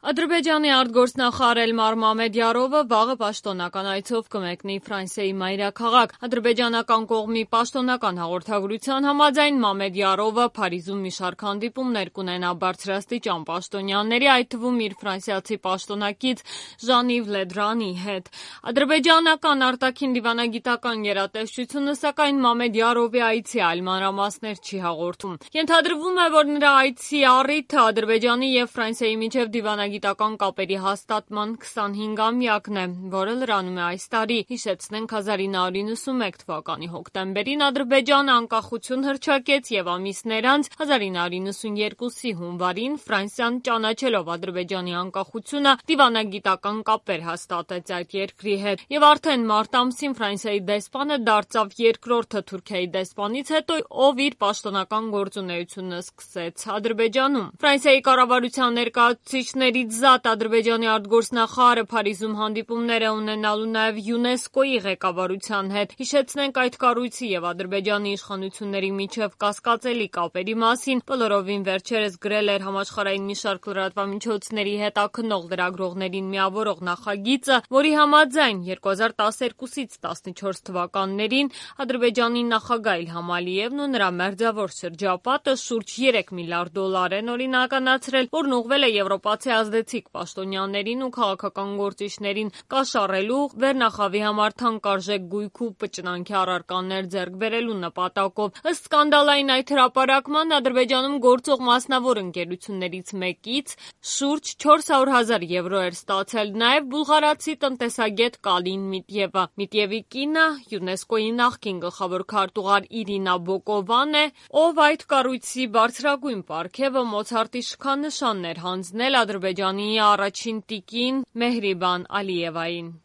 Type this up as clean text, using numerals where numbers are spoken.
Ադրբեջանի արտգործնախարար Էլմար Մամեդյարովը վաղը պաշտոնական այցով կմեկնի Ֆրանսիայի մայրաքաղաք։ Ադրբեջանական կողմի պաշտոնական հաղորդագրության համաձայն Մամեդյարովը Փարիզում մի շարք հանդիպումներ կունենա բարձրաստիճան պաշտոնյաների, այդ թվում իր ֆրանսիացի պաշտոնակից Ժան-Իվ Լեդրանի հետ։ Ադրբեջանական արտաքին դիվանագիտական գերատեսչությունը սակայն Մամեդյարովի այցի այլ մանրամասներ չի հաղորդում։ Ենթադրվում է, որ նրա այցի առիթը Ադրբեջանի և Ֆրանսիայի միջև դիվանագիտական կապերի հաստատման 25-ամյակն է, որը լրանում է այս տարի։ Հիշեցնենք 1991 թվականի հոկտեմբերին Ադրբեջանը անկախություն հռչակեց և ամիսներ անց 1992-ի հունվարին Ֆրանսիան ճանաչելով Ադրբեջանի անկախությունը դիվանագիտական կապեր հաստատեց այդ երկրի հետ։ Եվ արդեն մարտ ամսին Ֆրանսիայի դեսպանը դարձավ երկրորդը Թուրքիայի դեսպանից հետո, ով իր պաշտոնական գործունեությունը սկսեց Ադրբեջանում։ Ֆրանսիայի կառավարության ներկայացուցիչներից զատ Ադրբեջանի արտգործնախարարը Փարիզում հանդիպումներ է ունենալու նաև ՅՈՒՆԵՍԿՕ-ի ղեկավարության հետ։ Հիշեցնենք այդ կառույցի և Ադրբեջանի իշխանությունների միջև կասկածելի կապերի մասին բոլորովին վերջերս գրել էր համաշխարհային մի շարք լրատվամիջոցների հետաքննող լրագրողներին միավորող նախագիծը, որի համաձայն 2012-ից 14 թվականներին Ադրբեջանի նախագահ Իլհամ Ալիևն ու նրա մերձավոր շրջապատը շուրջ 3 միլիարդ դոլար են օրինականացրել, որն ուղղվել է եվրոպացի ազդեցիկ պաշտոնյաներին ու քաղաքական գործիչներին կաշառելու, վերնախավի համար թանկարժեք գույք ու պճնանքի առարկաներ ձեռք բերելու նպատակով։ Ըստ սկանդալային այդ հրապարակման Ադրբեջանում գործող մասնավոր ընկերություններից մեկից շուրջ 400,000 եվրո էր ստացել նաև բուլղարացի տնտեսագետ Կալին Միտևը։ Միտևի կինը ՅՈՒՆԵՍԿՕ-ի նախկին գլխավոր քարտուղար Իրինա Բոկովան է, ով այդ կառույցի բարձրագույն պարգևը Մոցարտի շքանշանն էր հանձնել Ադրբեջանի առաջին տիկին Մեհրիբան Ալիևային։